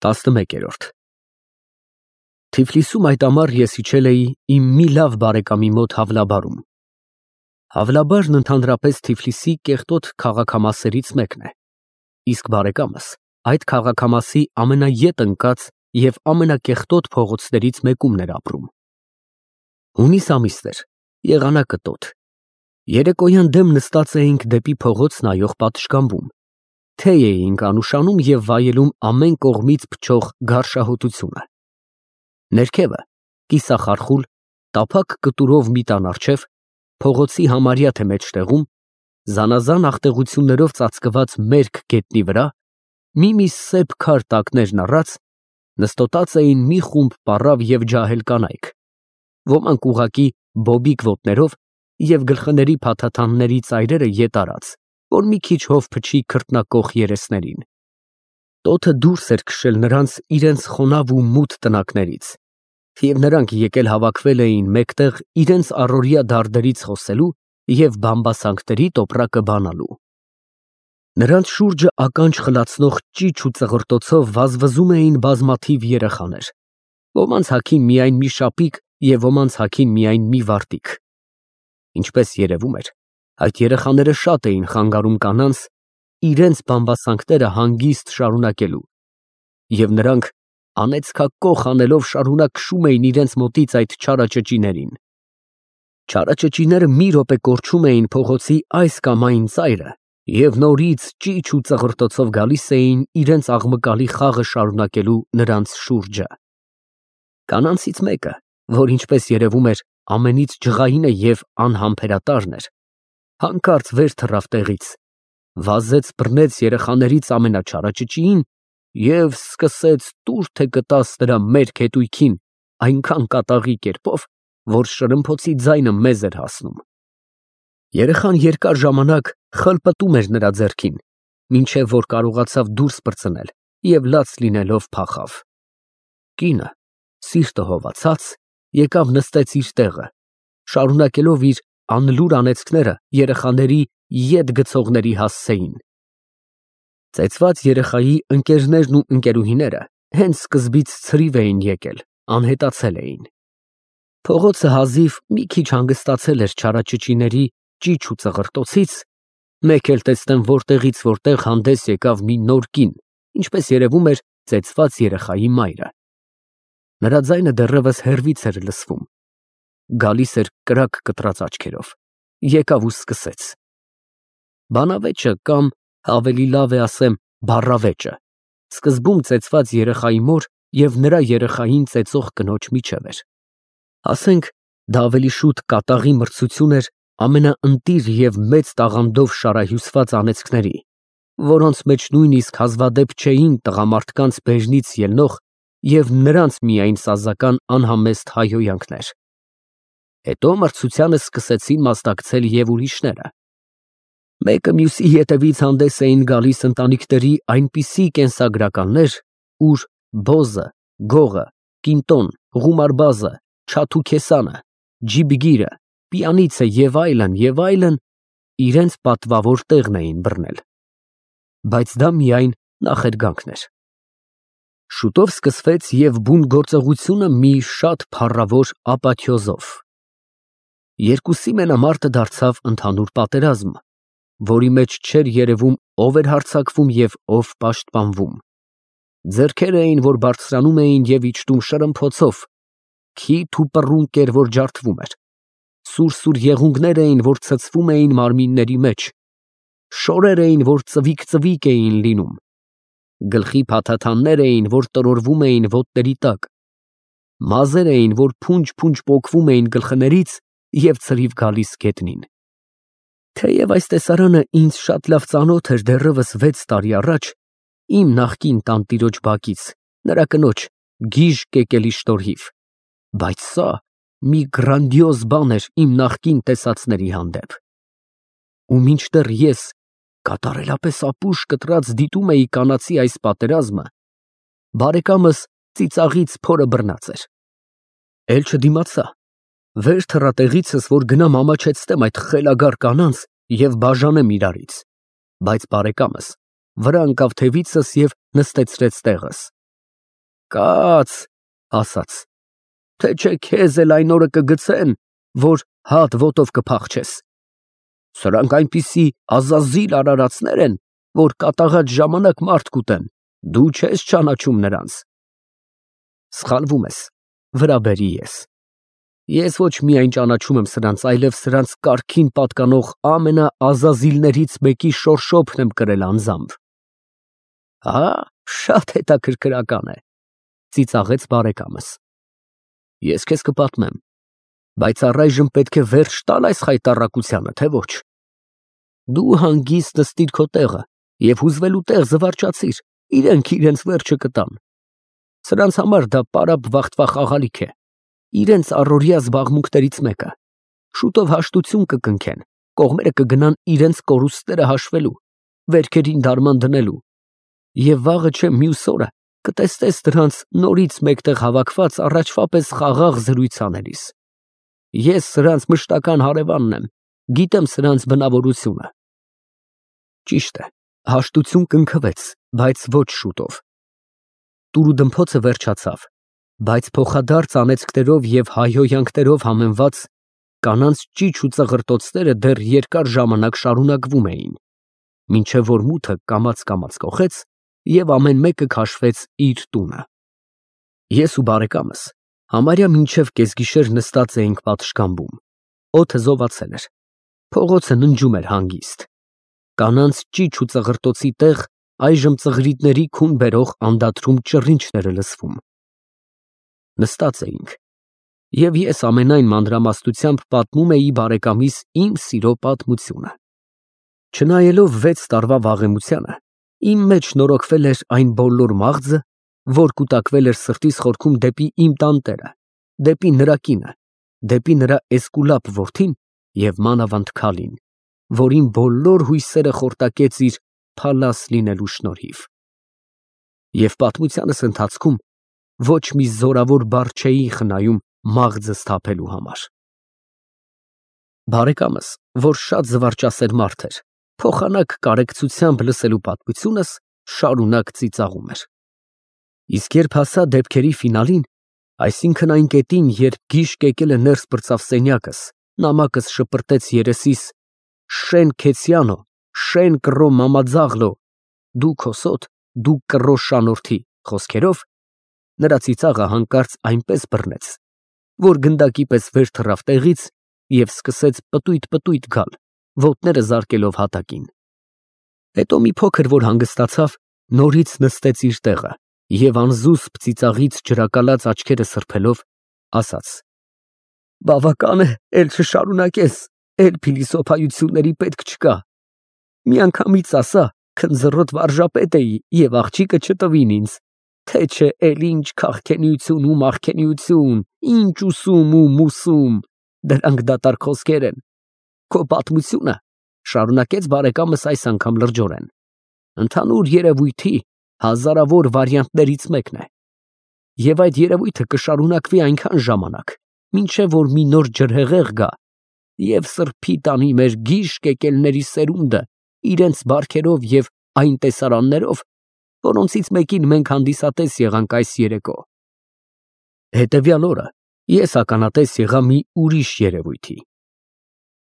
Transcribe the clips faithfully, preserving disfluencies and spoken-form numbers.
տասնմեկերորդ Թիֆլիսում այդ ամառ ես իջել էի իմ մի լավ բարեկամի մոտ Հավլաբարում։ Հավլաբարն ընդհանրապես Թիֆլիսի կեղտոտ քաղաքամասերից մեկն է, իսկ բարեկամս այդ քաղաքամասի ամենաետ ընկած և ամենակեղտոտ փողոցներից մեկումն էր ապրում։ Հունիս ամիսն էր, եղանակը տոտ։ Երեկոյան դեմ նստած էինք դեպի փողոց նայող պատշգամբում, թեյ էինք անուշանում և վայելում ամեն կողմից փչող գարշահոտությունը։ Ներքևը, կիսախարխուլ, տափակ կտուրով մի տան առջև, փողոցի համարյա թե մեջտեղում, զանազան աղտեղություններով ծածկված մերկ գետնի վրա, մի-մի սև քար տակներն առած, նստոտած էին մի խումբ պառավ և ջահել կանայք, ոմանք ուղղակի բոբիկ ոտներով և գլխների փաթաթանների ծայրերը ետ արած, որ մի քիչ հով փչի քրտնակոխ երեսներին։ Տոթը դուրս էր քշել նրանց իրենց խոնավ ու մութ տնակներից, և նրանք եկել հավաքվել էին մեկտեղ իրենց առօրյա դարդերից խոսելու և բամբասանքների տոպրակը բանալու։ Նրանց շուրջը ականջ խլացնող ճիչ ու ծղրտոցով վազվզում էին բազմաթիվ երեխաներ, ոմանց հագին միայն մի շապիկ և ոմանց հագին միայն մի վարտիք։ Ինչպես երևում էր, այդ երեխաները շատ էին խանգարում կանանց իրենց բամբասանքները հանգիստ շարունակելու, և նրանք անեծքակոխ անելով շարունակ քշում էին իրենց մոտից այդ չարաճճիներին։ Չարաճճիները մի րոպե կորչում էին փողոցի այս կամ այն ծայրը և նորից ճիչ ու ծղրտոցով գալիս էին իրենց աղմկալի խաղը շարունակելու նրանց շուրջը։ Կանանցից մեկը, որ ինչպես երևում էր ամենից ջղայինը և անհամբերատարն էր, հանկարծ վեր թռավ տեղից, վազեց բռնեց երեխաներից ամենաչարաճճիին և սկսեց տուր թե կտաս նրա մերկ հետույքին այնքան կատաղի կերպով, որ շրմփոցի ձայնը մեզ էր հասնում։ Երեխան երկար ժամանակ խլպտում էր նրա ձեռքին, մինչև որ կարողացավ դուրս պրծնել և լաց լինելով փախավ։ Կինը, սիրտը հովացած, եկավ նստեց իր տեղը, շարունակելով իր անլուր անեծքները երեխաների ետ գցողների հասցեին։ Ծեծված երեխայի ընկերներն ու ընկերուհիները հենց սկզբից ցրիվ էին եկել, անհետացել էին։ Փողոցը հազիվ մի քիչ հանգստացել էր չարաճճիների ճիչ ու ծղրտոցից, մեկ էլ տեսնեմ որտեղից որտեղ հանդես եկավ մի նոր կին, ինչպես երևում էր ծեծված երեխայի մայրը։ Նրա ձայնը դեռևս հեռվից էր լսվում, գալիս էր կրակ կտրած աչքերով, եկավ ու սկսեց։ Բանավեճը կամ, ավելի լավ է ասեմ, բառավեճը սկզբում ծեծված երեխայի մոր և նրա երեխային ծեծող կնոջ միջև էր։ Ասենք, դա ավելի շուտ կատաղի մրցություն էր ամենաընտիր և մեծ տաղանդով շարահյուսված անեծքների, որոնց մեջ նույնիսկ հազվադեպ չէին տղամարդկանց բեժնից ելնող և նրանց միայն սազական անհամեստ հայհոյանքներ։ Հետո մրցությանը սկսեցին մասնակցել և ուրիշները։ Մեկը մյուսի ետևից հանդես էին գալիս ընտանիքների այնպիսի կենսագրականներ, ուր բոզը, գողը, կինտոն, ղումարբազը, չաթուքեսանը, ջիբգիրը, պիանիցը և այլն, և այլն իրենց պատվավոր տեղն էին բռնել։ Բայց դա միայն նախերգանքն էր։ Շուտով սկսվեց և բուն գործողությունը մի շատ փառավոր ապաթյոզով։ Երկուսի մենամարտը դարձավ ընդհանուր պատերազմ, որի մեջ չէր երևում ով էր հարձակվում և ով պաշտպանվում։ Ձեռքեր էին, որ բարձրանում էին և իջնում շրմփոցով, քիթ ու պռունկ էր, որ ջարդվում էր, սուր֊սուր եղունգներ էին, որ ցցվում էին մարմինների մեջ, շորեր էին, որ ծվիկ֊ծվիկ էին լինում, գլխի փաթաթաններ էին, որ տրորվում էին ոտների տակ, մազեր էին, որ փունջ֊փունջ պոկվում էին գլխներից և ցրիվ գալիս գետնին։ Թեև այս տեսարանը ինձ շատ լավ ծանոթ էր դեռևս վեց տարի առաջ իմ նախկին տանտիրոջ բակից, նրա կնոջ գիժ կեկելի շնորհիվ, բայց սա մի գրանդիոզ բան էր իմ նախկին տեսածների հանդեպ։ Ու մինչդեռ ես կատարելապես ապուշ կտրած դիտում էի կանացի այս պատերազմը, բարեկամս ծիծաղից փորը բռնած էր։ Էլ չդիմացա, վեր թռա տեղիցս, որ գնամ ամաչեցնեմ այդ խելագար կանանց և բաժանեմ իրարից, բայց բարեկամս վրա ընկավ թևիցս և նստեցրեց տեղս։ Կաց, ասաց, թե չէ քեզ էլ այն օրը կգցեն, որ հատ ոտով կփախչես։ Սրանք այնպիսի ազազիլ արարածներ են, որ կատաղած ժամանակ մարդ կուտեն, դու չես ճանաչում նրանց։ Սխալվում ես, վրա բերի ես։ Ես ոչ միայն ճանաչում եմ սրանց, այլև սրանց կարգին պատկանող ամենաազազիլներից մեկի շորշոփն եմ կրել անձամբ։ Հա, շատ հետաքրքրական է, ծիծաղեց բարեկամս։ Ես քեզ կպատմեմ, բայց առայժմ պետք է վերջ տալ այս խայտառակությանը, թե ոչ։ Դու հանգիստ նստիր քո տեղը և հուզվելու տեղ զվարճացիր, իրենք իրենց վերջը կտան։ Սրանց համար դա պարապ վախտվախ աղալիք է, իրենց առօրյա զբաղմունքներից մեկը։ Շուտով հաշտություն կկնքեն, կողմերը կգնան իրենց կորուստները հաշվելու, վերքերին դարման դնելու, և վաղը չէ մյուս օրը կտեսնես դրանց նորից մեկտեղ հավաքված առաջվա պես խաղաղ զրույց անելիս։ Ես սրանց մշտական հարևանն եմ, գիտեմ սրանց բնավորությունը։ Ճիշտ է, հաշտություն կնքվեց, բայց ոչ շուտով։ Տուրուդմփոցը վերջացավ, բայց փոխադարձ անեծքներով և հայհոյանքներով համեմված կանանց ճիչ ու ծղրտոցները դեռ երկար ժամանակ շարունակվում էին, մինչև որ մութը կամաց֊կամաց կոխեց և ամեն մեկը քաշվեց իր տունը։ Ես ու բարեկամս համարյա մինչև կեսգիշեր նստած էինք պատշգամբում, օդը զովացել էր, փողոցը ննջում էր հանգիստ, կանանց ճիչ ու ծղրտոցի տեղ այժմ ծղրիդների քուն բերող անդադրում ճռինչն էր լսվում։ Նստած էինք, և ես ամենայն մանրամասնությամբ պատմում էի բարեկամիս իմ սիրո պատմությունը։ Չնայելով վեց տարվա վաղեմությանը, իմ մեջ նորոգվել էր այն բոլոր մաղձը, որ կուտակվել էր սրտիս խորքում դեպի իմ տանտերը, դեպի նրա կինը, դեպի նրա էսկուլապ որդին և մանավանդ քալին, որին բոլոր հույսերը խորտակեց իր փալաս լինելու շնորհիվ։ Եվ պատմությանս ընթացքում ոչ մի զորավոր բառ չէի խնայում մաղձս թափելու համար։ Բարեկամս, որ շատ զվարճասեր մարդ էր, փոխանակ կարեկցությամբ լսելու պատմությունս, շարունակ ծիծաղում էր։ Իսկ երբ հասա դեպքերի ֆինալին, այսինքն այն կետին, երբ գիշկ եկելը ներս պրծավ սենյակս, նամակս շպրտեց երեսիս «Շեն Քեցյանո, Շեն կռո մամաձաղլո, դու քոսոտ, դու կռո շանորթի» խոսքերով, նրա ծիծաղը հանկարծ այնպես բռնեց, որ գնդակի պես վեր թռավ տեղից և սկսեց պտույտ֊պտույտ գալ, ոտները զարկելով հատակին։ Հետո մի փոքր որ հանգստացավ, նորից նստեց իր տեղը և անզուսպ ծիծաղից ջրակալած աչքերը սրբելով, ասաց. «Բավական է, էլ չշարունակես, էլ փիլիսոփայությունների պետք չկա։ Միանգամից ասա, քնձռոտ վարժապետ էի և աղջիկը չտվին ինձ, թե չէ էլ ինչ քաղքենիություն ու մաղքենիություն, ինչ ուսում ու մուսում, դրանք դատարկ խոսքեր են։ Քո պատմությունը, ֊ շարունակեց բարեկամս այս անգամ լրջորեն, ֊ ընդհանուր երևույթի հազարավոր վարիանտներից մեկն է, և այդ երևույթը կշարունակվի այնքան ժամանակ, մինչև որ մի նոր ջրհեղեղ գա և սրբի տանի մեր գիշկ եկելների սերունդը իրենց բարքերով և այն տեսարաններով, որոնցից մեկին մենք հանդիսատես եղանք այս երեկո։ Հետևյալ օրը ես ականատես եղա մի ուրիշ երևույթի։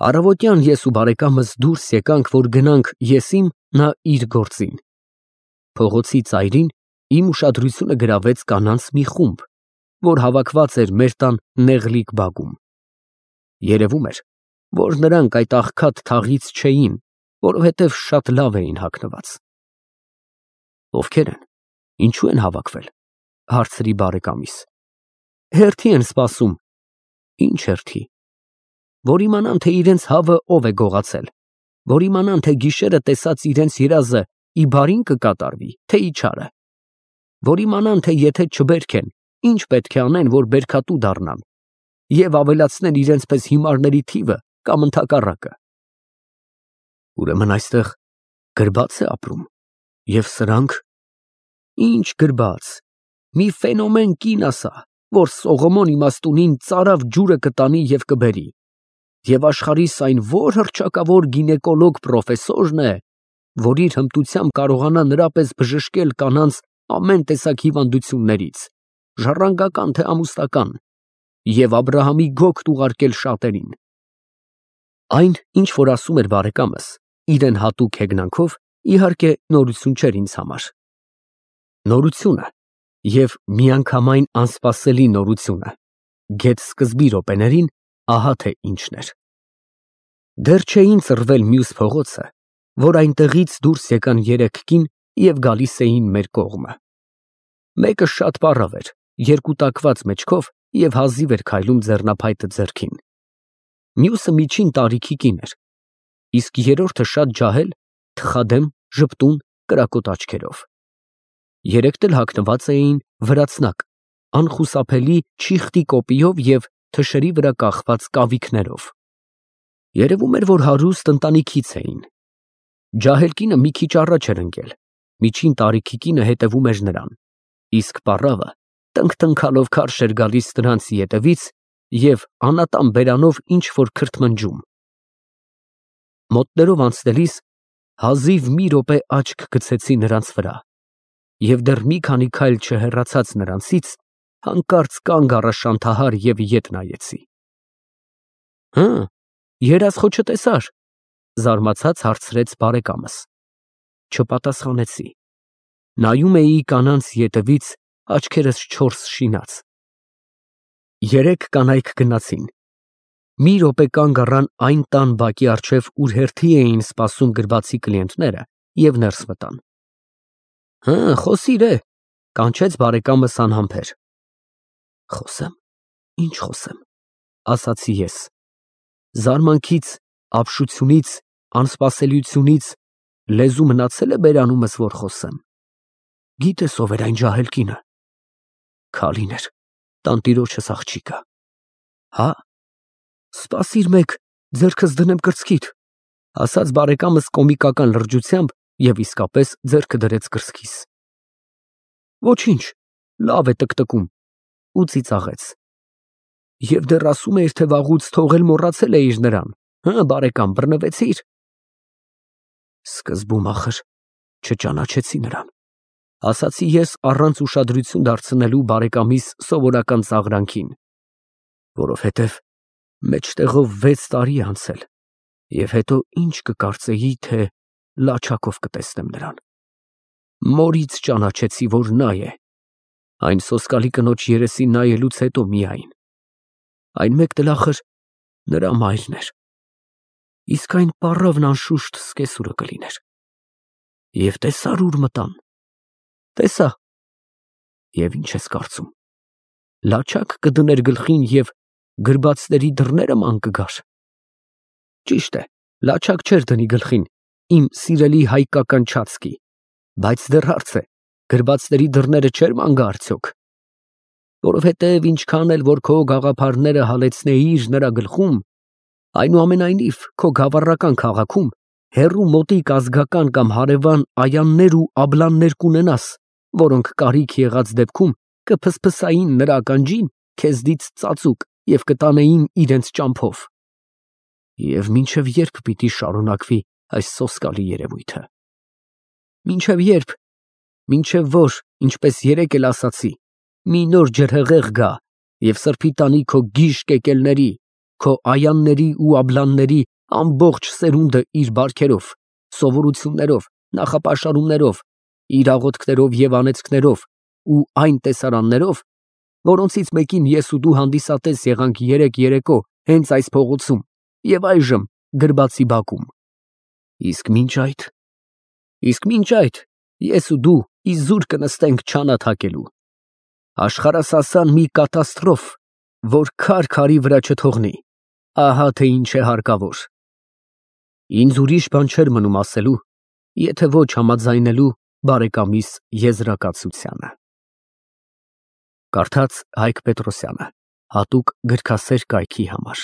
Առավոտյան ես ու բարեկամս դուրս եկանք, որ գնանք ես իմ, նա իր գործին։ Փողոցի ծայրին իմ ուշադրությունը գրավեց կանանց մի խումբ, որ հավաքված էր մեր տան նեղլիկ բակում։ Երևում էր, որ նրանք այդ աղքատ թաղից չէին, որովհետև շատ լավ էին հագնված։ Ովքեր են, ինչու են հավաքվել, ֊ հարցրի բարեկամիս։ Հերթի են սպասում։ Ինչ հերթի։ Որ իմանան, թե իրենց հավը ով է գողացել, որ իմանան, թե գիշերը տեսած իրենց երազը ի բարին կկատարվի, թե ի չարը, որ իմանան, թե եթե չբերքեն, ինչ պետք է անեն, որ բերքատու դառնան և ավելացնեն իրենց պես հիմարների թիվը կամ ընդհակառակը։ Ուրեմն այստեղ գրբա՞ց է ապրում, և սրանք… Ինչ գրբաց, մի ֆենոմեն կին ասա, որ Սողոմոն իմաստունին ծարավ ջուրը կտանի և կբերի, և աշխարհիս այն ո՞ր հռչակավոր գինեկոլոգ պրոֆեսորն է, որ իր հմտությամբ կարողանա նրա պես բժշկել կանանց ամեն տեսակ հիվանդություններից, ժառանգական թե ամուսնական, և Աբրահամի գոգտ ուղարկել շատերին։ Այն, ինչ որ ասում էր բարեկամս, իրեն հատուկ հեգնանքով, իհարկե, նորություն չէր ինձ համար։ Նորությունը և միանգամայն անսպասելի նորությունը, գեթ-սկզբի րոպեներին, ահա թե ինչն էր։ Դեռ չէին ծռվել մյուս փողոցը, որ այնտեղից դուրս եկան երեք կին և գալիս էին մեր կողմը։ Մեկը շատ պառավ էր, երկուտակված մեջքով և հազիվ էր քայլում ձեռնափայտը ձեռքին։ Մյուսը միջին տարիքի կին էր, իսկ երրորդը շատ ջահել, թխադեմ, ժպտուն, կրակոտ աչքերով։ Երեքն էլ հագնված էին վրացնակ, անխուսափելի չիխտի կոպիով և թշերի վրա կախված կավիքներով։ Երևում էր, որ հարուստ ընտանիքից էին։ Ջահել կինը մի քիչ առաջ էր ընկել, միջին տարիքի կինը հետևում էր նրան, իսկ պառավը տնք֊տնքալով քարշ էր գալիս նրանց ետևից և անատան բերանով ինչ֊որ քրթմնջում։ Մոտներով անցնելիս հազիվ մի րոպե աչք գցեցի նրանց վրա և դեռ մի քանի քայլ չհեռացած նրանցից, հանկարծ կանգ առա շանթահար և ետ նայեցի։ ֊ Հը, երազ խո չտեսա՞ր, ֊ զարմացած հարցրեց բարեկամս։ Չպատասխանեցի։ Նայում էի կանանց ետևից, աչքերս չորս շինած։ Երեք կանայք գնացին։ Մի րոպե կանգ առան այն տան բակի առջև, ուր հերթի էին սպասում գրվածի կլիենտները, և ներս մտան։ ֊ Հը, խոսիր է, ֊ կանչեց բարեկամս անհամբեր։ ֊ Խոսեմ, ինչ խոսեմ, ֊ ասացի ես։ Զարմանքից, ապշությունից, անսպասելիությունից լեզու մնացե՞լ է բերանումս, որ խոսեմ։ Գիտես ով էր այն ջահել կինը։ Քալին էր, տանտիրոջս աղջիկը։ Հա, սպասիր մեկ, ձեռքս դնեմ կրծքիդ, ֊ ասաց բարեկամս կոմիկական լրջությամբ և իսկապես ձեռքը դրեց կրծքիս։ Ոչինչ, լավ է տկտկում, ու ծիծաղեց։ Եվ դեռ ասում էիր, թե վաղուց թողել մոռացել էիր նրան, հը, բարեկամ, բռնվեցի՞ր։ Սկզբում, ախր, չճանաչեցի նրան, ֊ ասացի ես առանց ուշադրություն դարձնելու բարեկամիս սովորական ծաղրանքին, որովհետև մեջտեղով վեց տարի է անցել, և հետո ինչ կկարծեի, թե լաչակով կտեսնեմ նրան։ Մորից ճանաչեցի, որ նա է, այն սոսկալի կնոջ երեսին նայելուց հետո միայն։ Այն մեկն էլ, ախր, նրա մայրն էր, իսկ այն պառավն անշուշտ սկեսուրը կլիներ։ Եվ տեսա՞ր ուր մտան։ Տեսա։ Եվ ինչ ես կարծում, լաչակ կդներ գլխին և գրբացների դռները ման կգար։ Ճիշտ է, լաչակ չէր դնի գլխին, իմ սիրելի հայկական չացքի, բայց դեռ հարց է, գրբացների դռները չէր ման գա արդյոք։ Որովհետև ինչքան էլ որ քո գաղափարները հալեցնեիր նրա գլխում, այնուամենայնիվ քո գավառական քաղաքում հեռու մոտիկ ազգական կամ հարևան այաններ ու աբլաններ կունենաս, որոնք կարիք եղած դեպքում կփսփսային նրա ականջին քեզնից ծածուկ և կտանեին իրենց ճամփով։ Եվ մինչև ե՞րբ պիտի շարունակվի այս սոսկալի երևույթը։ Մինչև ե՞րբ, մինչև որ, ինչպես երեկ էլ ասացի, մի նոր ջրհեղեղ գա և սրբի տանի քո գիժ կեկելների, քո այանների ու աբլանների ամբողջ սերունդը իր բարքերով, սովորություններով, նախապաշարումներով, իր աղոթքներով և անեծքներով ու այն տեսարաններով, որոնցից մեկին ես ու դու հանդիսատես եղանք երեկ երեկո հենց այս փողոցում և այժմ գրբացի բակում։ Իսկ մինչ այդ… Իսկ մինչ այդ ես ու դու իզուր կնստենք չանաթակելու, աշխարհասասան մի կատաստրոֆ, որ քար քարի վրա չթողնի, ահա թե ինչ է հարկավոր։ Ինձ ուրիշ բան չէր մնում ասելու, եթե ոչ համաձայնելու բարեկամիս եզրակացությանը։ Կարդաց Հայկ Պետրոսյանը, հատուկ գրքասեր կայքի համար։